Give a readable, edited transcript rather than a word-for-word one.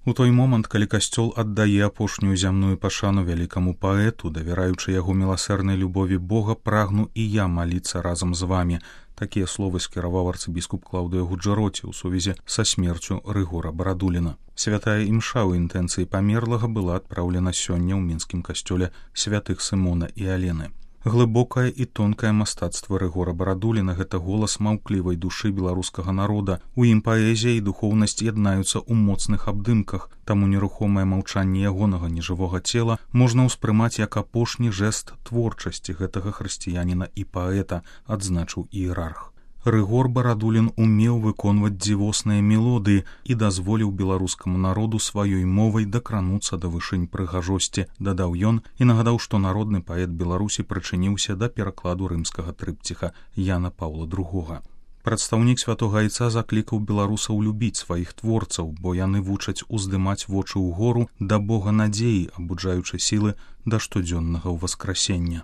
У той момант, калі касцёл аддае апошнюю зямную пашану вялікаму паэту, давяраючы яго міласэрнай любові Бога, прагну і я маліцца разам з вамі. Такія словы скіраваў арцыбіскуп Клаўдыя Гуджэроці ў сувязі са смерцю Рыгора Барадуліна. Святая імша ў інтэнцыі памерлага была адпраўлена сёння ў мінскім касцёле святых Сымона і Алены. Глыбокае і тонкае мастацтва Рыгора Барадуліна — гэта голас маўклівай душы беларускага народа. У ім паэзія і духоўнасць яднаюцца ў моцных абдымках, таму нерухомае маўчанне ягонага нежывога цела можна ўспрымаць як апошні жэст творчасці гэтага хрысціяніна і паэта, адзначыў іерарх. Рыгор Барадулін умеў выконваць дзівосныя мелодыі і дазволіў беларускаму народу сваёй мовай дакрануцца да вышынь прыгажосці, дадаў ён і нагадаў, што народны паэт Беларусі прычыніўся да перакладу рымскага трыпціха Яна Паўла II. Прадстаўнік святога айца заклікаў беларусаў любіць сваіх творцаў, бо яны вучаць уздымаць вочы ўгору да Бога надзеі, абуджаючы сілы да штодзённага ўваскрасення.